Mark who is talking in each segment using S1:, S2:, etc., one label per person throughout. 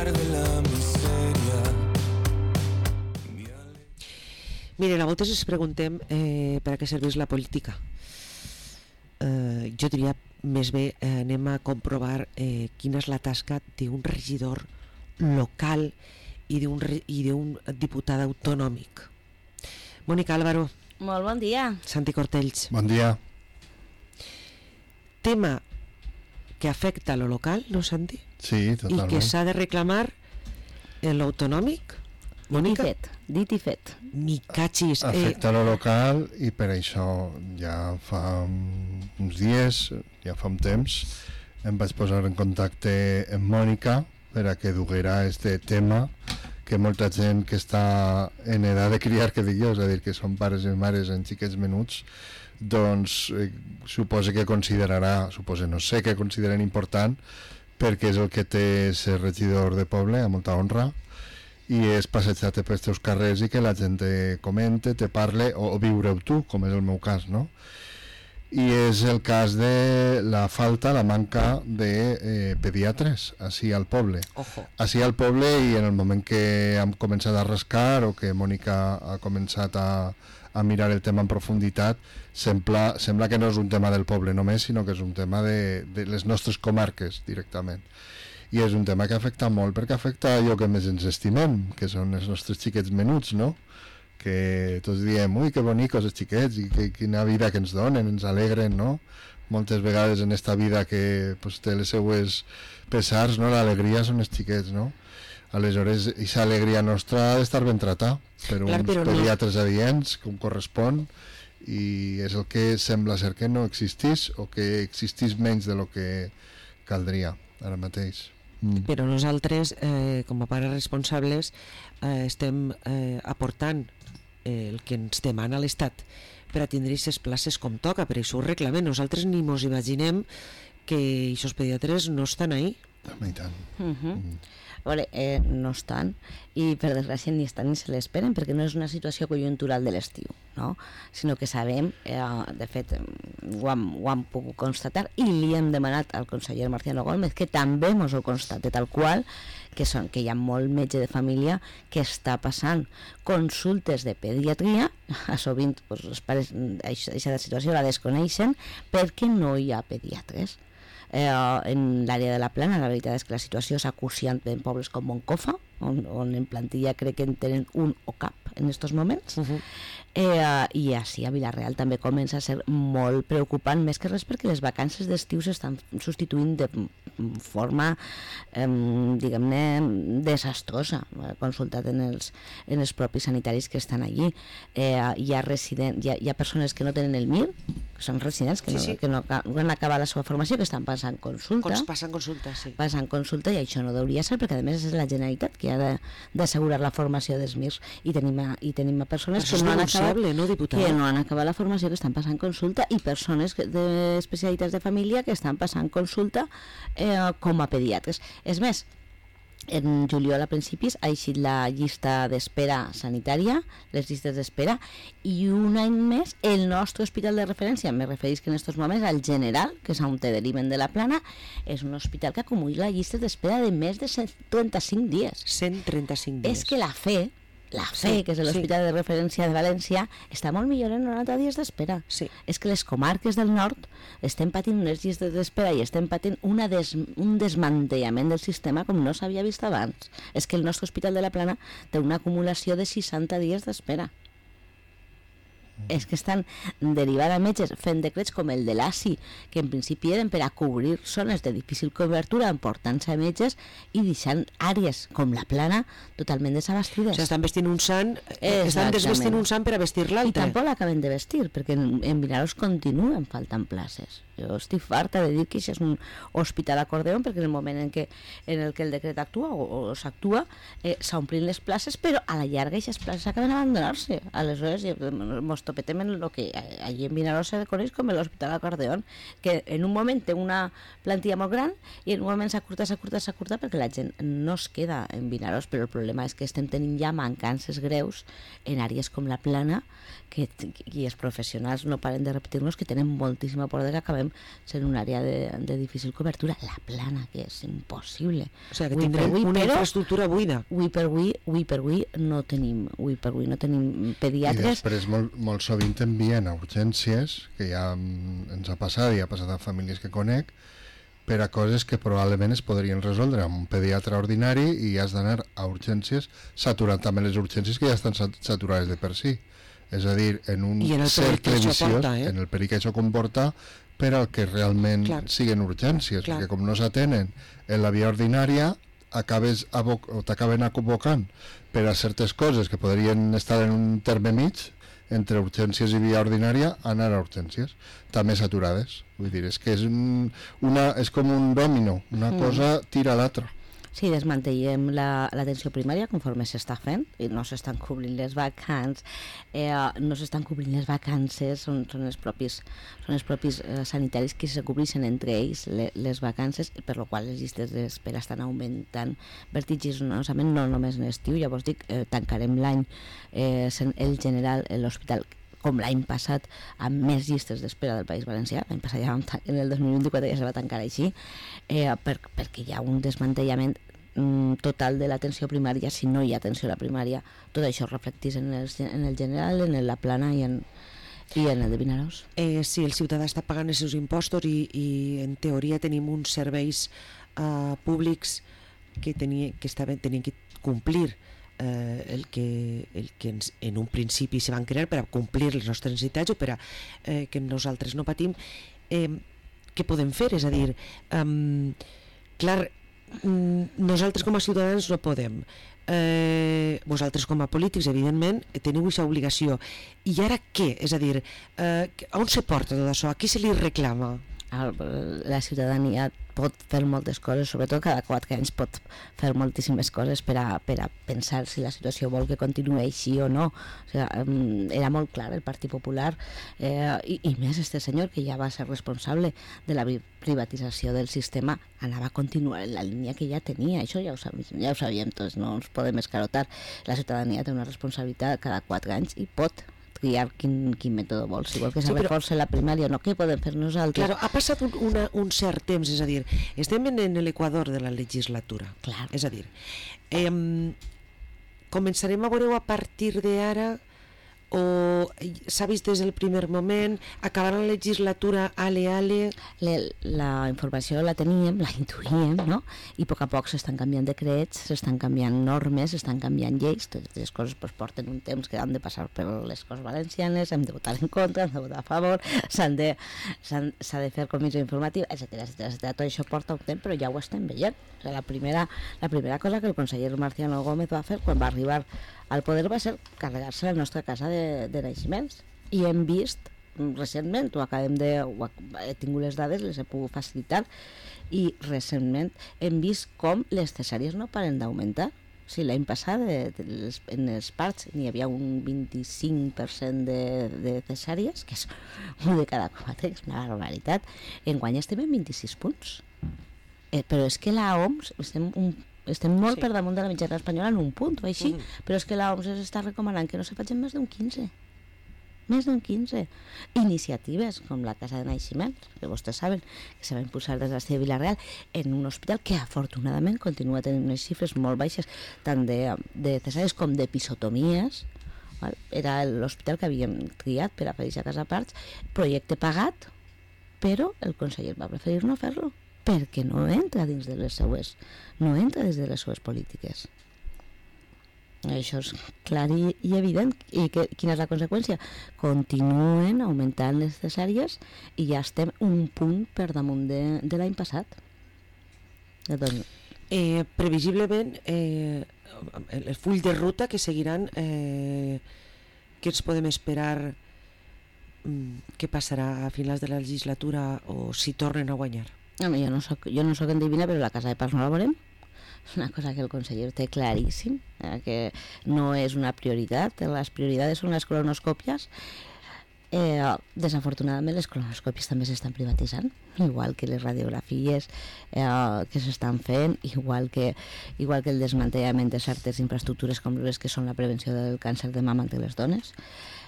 S1: de la miseria.
S2: Miren, a voltes ens preguntem per a què serveix la política. Jo diria més bé anem a comprovar quina és la tasca d'un regidor local i d'un diputat autonòmic. Mònica Álvaro.
S3: Molt bon dia.
S2: Santi Cortells.
S4: Bon dia.
S2: Tema que afecta a lo local, no, Santi?
S4: Sí, totalment.
S2: I que s'ha de reclamar en l'autonòmic. Mònica?
S3: Dit i fet.
S2: Mi cachis.
S4: Afecta lo local i per això ja fa uns dies, ja fa un temps, em vaig posar en contacte amb Mònica per a que duguera este tema que molta gent que està en edat de criar, que dic jo, és a dir, que són pares i mares en xiquets menuts, doncs suposa que considerarà, no sé què consideren important, perquè és el que té ser regidor de poble, a molta honra, i és passejar-te pels teus carrers i que la gent te comente, te parle, o viure-ho tu, com és el meu cas, no? I és el cas de la manca de pediatres així al poble.
S2: Ojo.
S4: Així al poble, i en el moment que hem començat a rascar o que Mònica ha començat a mirar el tema en profunditat, sembla que no és un tema del poble només, sinó que és un tema de les nostres comarques directament. I és un tema que afecta molt, perquè afecta allò que més ens estimem, que són els nostres xiquets menuts, no? Que tots diem, ui, que bonicos els xiquets, i quina vida que ens donen, ens alegren, no? Moltes vegades en esta vida que pues, té les seues pesars, no? L'alegria són els xiquets, no? Aleshores, aquesta alegria nostra ha d'estar ben tratada per uns pediatres adients, com correspon, i és el que sembla ser que no existís, o que existís menys de lo que caldria ara mateix.
S2: Però nosaltres, com a pares responsables, estem aportant el que ens demana l'Estat per a tindre aquestes places com toca, per això ho reclamem. Nosaltres ni mos imaginem que aquests pediatres no estan ahí.
S4: I tant.
S3: A veure, no estan, i per desgràcia ni estan ni se l'esperen, perquè no és una situació conjuntural de l'estiu, no? Sinó que sabem, de fet ho hem pogut constatar, i li hem demanat al conseller Marciano Gómez que també ens ho constate tal qual, que hi ha molt metge de família que està passant consultes de pediatria, sovint els pares aquesta situació la desconeixen perquè no hi ha pediatres. En l'àrea de la Plana la veritat és que la situació és acuciant en pobles com Moncofa, on en plantilla crec que en tenen un o cap en aquests moments. I així a Vila-real també comença a ser molt preocupant, més que res perquè les vacances d'estiu s'estan substituint de forma diguem-ne desastrosa, consultat en els propis sanitaris que estan allí. Hi ha persones que no tenen el MIR, que són residents que no han acabat la seva formació, que estan passant consulta.
S2: Passen consulta, sí.
S3: Passen consulta, i això no hauria ser, perquè a més és la Generalitat que ha d'assegurar la formació dels MIRs, i tenim persones que no han acabat la formació, que estan passant consulta, i persones d'especialitats de família que estan passant consulta com a pediatres. És més, en juliol a principis ha eixit la llista d'espera sanitària, les llistes d'espera, i un any més el nostre hospital de referència, me referís que en aquests moments al General, que és on te deriven de la Plana, és un hospital que acumula llistes d'espera de més de 135 dies.
S2: 135 dies.
S3: És que la FE, que és l'Hospital de Referència de València, està molt millor en 90 dies d'espera.
S2: Sí.
S3: És que les comarques del nord estem patint unes llistes d'espera i estem patint un desmantellament del sistema com no s'havia vist abans. És que el nostre Hospital de la Plana té una acumulació de 60 dies d'espera. És que estan derivant a metges fent decrets com el de l'ASI, que en principi eren per a cobrir zones de difícil cobertura emportant-se a metges i deixant àrees com la Plana totalment desabastides.
S2: O sigui, estan vestint un sant, estan desvestint un sant per a vestir l'altre.
S3: I tampoc l'acaben de vestir, perquè en Vinaròs continuen faltant places. Jo estic farta de dir que això és un hospital acordeon, perquè en el moment en el que el decret actua o s'actua, s'omplin les places, però a la llarga aquestes places acaben abandonar-se. Aleshores, mos topetem en el que allí en Vinaròs se coneix com l'Hospital Acordeón, que en un moment té una plantilla molt gran i en un moment s'acurta perquè la gent no es queda en Vinaròs, però el problema és que estem tenint ja mancances greus en àrees com la Plana, i els professionals no paren de repetir-nos que tenen moltíssima por de que acabem sent una àrea de difícil cobertura. La Plana, que és impossible.
S2: O sigui, que tindrem una infraestructura buida.
S3: Avui per avui no tenim pediatres.
S4: I després molt sovint envien a urgències, que ja ens ha passat i ha passat a famílies que conec, per a coses que probablement es podrien resoldre amb un pediatre ordinari i has d'anar a urgències saturant també les urgències que ja estan saturades de per si. És a dir, en un cercle viciós, en el perill que això comporta per al que realment siguin urgències, perquè com no s'atenen en la via ordinària t'acaben convocant per a certes coses que podrien estar en un terme mig entre urgències i via ordinària, anar a urgències també saturades. Vull dir, és que és com un dòmino, una cosa tira a l'altra.
S3: Sí, desmantellem l'atenció primària conforme s'està fent i no s'estan cobrint les vacances, són els propis sanitaris que se cobreixen entre ells les vacances, per lo qual les llistes d'espera estan augmentant vertiginosament, no només en estiu. Llavors dic, tancarem l'any el general, l'hospital, com l'any passat, amb més llistes d'espera del País Valencià. L'any passat ja en el 2024 ja se va tancar així, perquè hi ha un desmantellament total de l'atenció primària. Si no hi ha atenció a la primària, tot això es reflecteix en el general, en la Plana i en el de Vinaròs.
S2: Si el ciutadà està pagant els seus impostos i en teoria tenim uns serveis públics que tenien que complir el que en un principi se van crear per a complir les nostres necessitats o per a que nosaltres no patim, què podem fer? És a dir, clar, nosaltres com a ciutadans no podem, vosaltres com a polítics evidentment teniu aquesta obligació, i ara què? És a dir, on se porta tot això? A qui se li reclama?
S3: La ciutadania pot fer moltes coses, sobretot cada 4 anys pot fer moltíssimes coses per a pensar si la situació vol que continuï així o no. O sigui, era molt clar el Partit Popular i més este senyor, que ja va ser responsable de la privatització del sistema, anava a continuar en la línia que ja tenia. Això ja ho sabíem tots, no ens podem escarotar. La ciutadania té una responsabilitat cada 4 anys i pot triar quin mètode vol, si vol que se reforci la primària o no, què podem fer nosaltres?
S2: Claro, ha passat un cert temps, és a dir, estem en l'equador de la legislatura.
S3: Clar.
S2: És a dir, començarem a veure a partir d'ara, o s'ha vist des del primer moment, acabarà la legislatura ale.
S3: La informació la teníem, la intuïem, no? I a poc s'estan canviant decrets, s'estan canviant normes, s'estan canviant lleis. Totes les coses porten un temps que han de passar per les Corts Valencianes, hem de votar en contra, hem de votar a favor, s'ha de fer comissió informativa, etcètera. Tot això porta un temps, però ja ho estem veient. O sigui, la primera cosa que el conseller Marciano Gómez va fer quan va arribar al poder va ser carregar-se la nostra casa de naixements, i hem vist recentment, he tingut les dades, les he pogut facilitar, i recentment hem vist com les cesàries no paren d'augmentar. O sigui, l'any passat en els parts n'hi havia un 25% de cesàries, que és un de cada 4, és una barbaritat. Enguany estem en 26 punts. Però és que la OMS estem molt per damunt de la mitjana espanyola en un punt, o així, però és que la OMS està recomanant que no se facin més d'un 15. Més d'un 15. Iniciatives com la Casa de Naixements, que vostès saben que se va impulsar des de la de Vila-real, en un hospital que afortunadament continua tenint unes xifres molt baixes, tant de cesàries com d'episotomies. Era l'hospital que havíem triat per a fer a casa parts, projecte pagat, però el conseller va preferir no fer-lo, perquè no entra dins de les seues polítiques. Això és clar i evident. I quina és la conseqüència? Continuen augmentant les cesàries i ja estem un punt per damunt de l'any passat.
S2: Previsiblement el full de ruta que seguiran, què ens podem esperar, què passarà a finals de la legislatura o si tornen a guanyar?
S3: Home, jo no soc endevina, però la casa de parts no la veurem. És una cosa que el conseller té claríssim, que no és una prioritat. Les prioritats són les cronoscòpies. Desafortunadament les colonoscòpies també s'estan privatitzant, igual que les radiografies que s'estan fent, igual que el desmantellament de certes infraestructures com les que són la prevenció del càncer de mama entre les dones.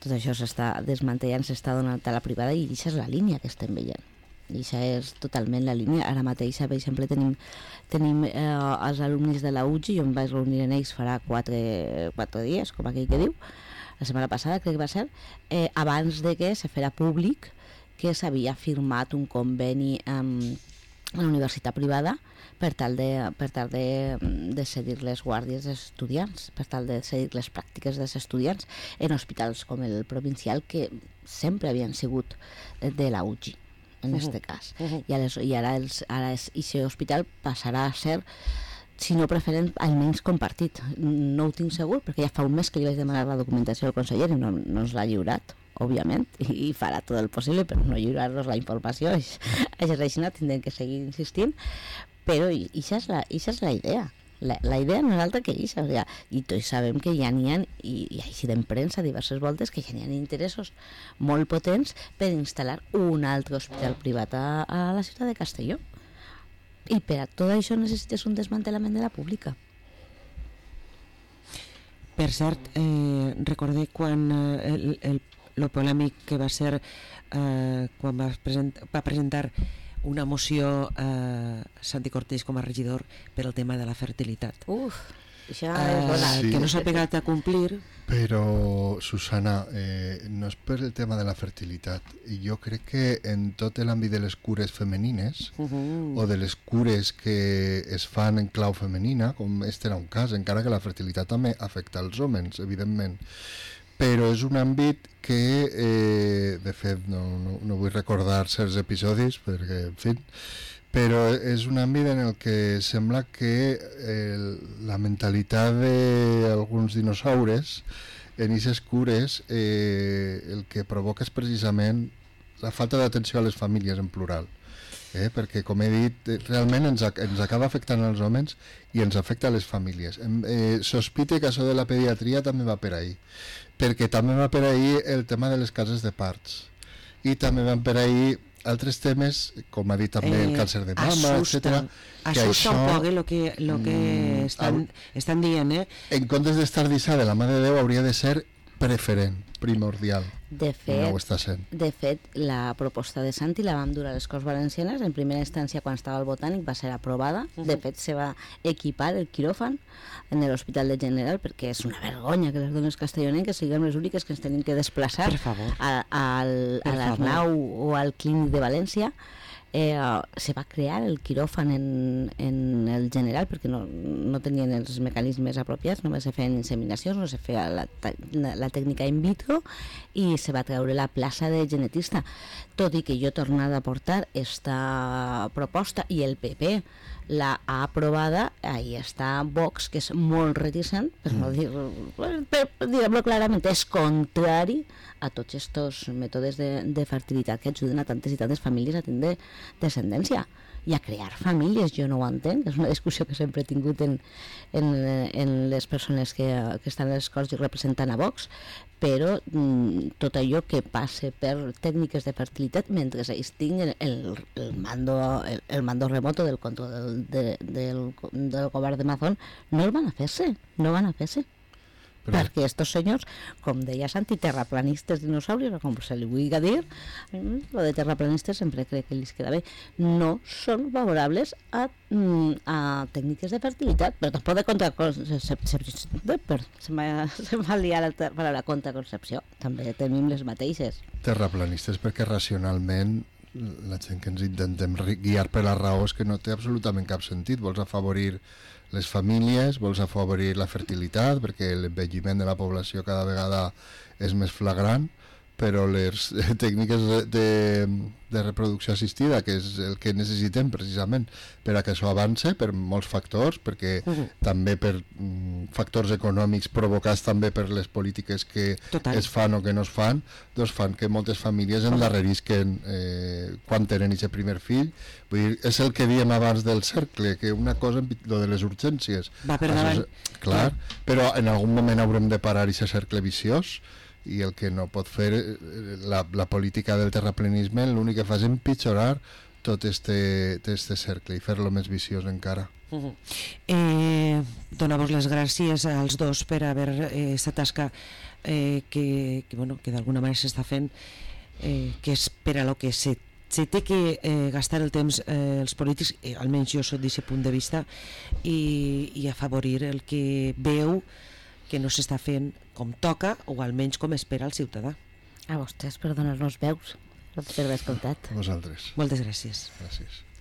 S3: Tot això s'està desmantellant, s'està donant a la privada, i això és la línia que estem veient. I això és totalment la línia. Ara mateix, per exemple, tenim els alumnes de la UGI, jo em vaig reunir en ells farà 4 dies, com aquell que diu, la setmana passada crec que va ser, abans de que se fera públic que s'havia firmat un conveni amb la universitat privada per tal de cedir les guàrdies dels estudiants, per tal de cedir les pràctiques dels estudiants en hospitals com el provincial, que sempre havien sigut de la UGI en este cas. I ara aquest hospital passarà a ser, si no preferent, almenys compartit. No ho tinc segur, perquè ja fa un mes que li vaig demanar la documentació al conseller i no ens l'ha lliurat, òbviament, i farà tot el possible per no lliurar-nos la informació. Això és així, tindrem que seguir insistint, però això és la idea. La idea no és altra que això, i tots sabem que ja n'hi ha, i així en premsa diverses voltes, que ja n'hi ha interessos molt potents per instal·lar un altre hospital privat a la ciutat de Castelló. I per a tot això necessites un desmantellament de la pública.
S2: Per cert, recordé quan el polèmic que va ser quan va presentar una moció Santi Cortés com a regidor per al tema de la fertilitat.
S3: Això és bona.
S4: Sí.
S2: Que no s'ha pegat a complir.
S4: Però, Susana, no és per el tema de la fertilitat. Jo crec que en tot l'àmbit de les cures femenines o de les cures que es fan en clau femenina, com este era un cas, encara que la fertilitat també afecta els homes, evidentment, però és un àmbit que, de fet, no vull recordar certs episodis, perquè, en fi, però és un àmbit en el que sembla que la mentalitat d'alguns dinosaures en aquestes cures el que provoca és precisament la falta d'atenció a les famílies en plural. Perquè, com he dit, realment ens acaba afectant als homes i ens afecta a les famílies. Sospite que això de la pediatria també va per ahí, perquè també va per ahí el tema de les cases de parts, i també van per ahí altres temes, com ha dit també el càncer de mama, etc.
S2: Assusta un poc lo que estan dient.
S4: En comptes d'estar dissà de la mà de Déu, hauria de ser preferent, primordial.
S3: De fet,
S4: no ho està sent.
S3: De fet, la proposta de Santi la vam dur a les Corts Valencianes. En primera instància, quan estava al Botànic, va ser aprovada. De fet, se va equipar el quiròfan en l'Hospital de General, perquè és una vergonya que les dones castellonenques siguem les úniques que ens tenim que desplaçar a l'Arnau o al Clínic de València. Se va crear el quiròfan en el General perquè no tenien els mecanismes apropiats, només se feien inseminacions, no se feia la tècnica in vitro, i se va treure la plaça de genetista, tot i que jo he tornat a portar esta proposta i el PP l'ha aprovada. Ahí està Vox, que és molt reticent, per no dir-ho clarament, és contrari a tots aquests mètodes de fertilitat que ajuden a tantes i tantes famílies a tindre descendència i a crear famílies. Jo no ho entenc, és una discussió que sempre he tingut en les persones que estan a les Corts i representant a Vox, però tot allò que passe per tècniques de fertilitat mentre ells tinguin el mando remoto del control del govern de Mazón, no van a fer-se. Però... perquè estos senyors, com deia Santi, terraplanistes dinosaurios, com se li vulgui dir, lo de terraplanistes sempre crec que els queda bé, no són favorables a tècniques de fertilitat, però tampoc de contraconcepció. Se m'ha liat la contraconcepció, també tenim les mateixes.
S4: Terraplanistes perquè racionalment la gent que ens intentem guiar per la raó és que no té absolutament cap sentit. Vols afavorir les famílies, vols afavorir la fertilitat perquè l'envelliment de la població cada vegada és més flagrant, però les tècniques de reproducció assistida, que és el que necessitem precisament per a que això avance, per molts factors, perquè també per factors econòmics provocats també per les polítiques que es fan o que no es fan, doncs fan que moltes famílies endarrerisquen quan tenen aquest primer fill. Vull dir, és el que diem abans del cercle, que una cosa, lo de les urgències,
S2: va per davant.
S4: Clar, però en algun moment haurem de parar aquest cercle viciós, i el que no pot fer la política del terraplenisme l'únic que fa és empitjorar tot este cercle i fer-lo més viciós encara.
S2: Donar-vos les gràcies als dos per haver esta tasca que d'alguna manera s'està fent, que és per a lo que se té que gastar el temps els polítics, almenys jo soc d'aquest punt de vista, i afavorir el que veu que no s'està fent com toca o almenys com espera el ciutadà.
S3: A vostès per donar-nos veus, per haver escoltat.
S4: A vosaltres.
S2: Moltes gràcies.
S4: Gràcies.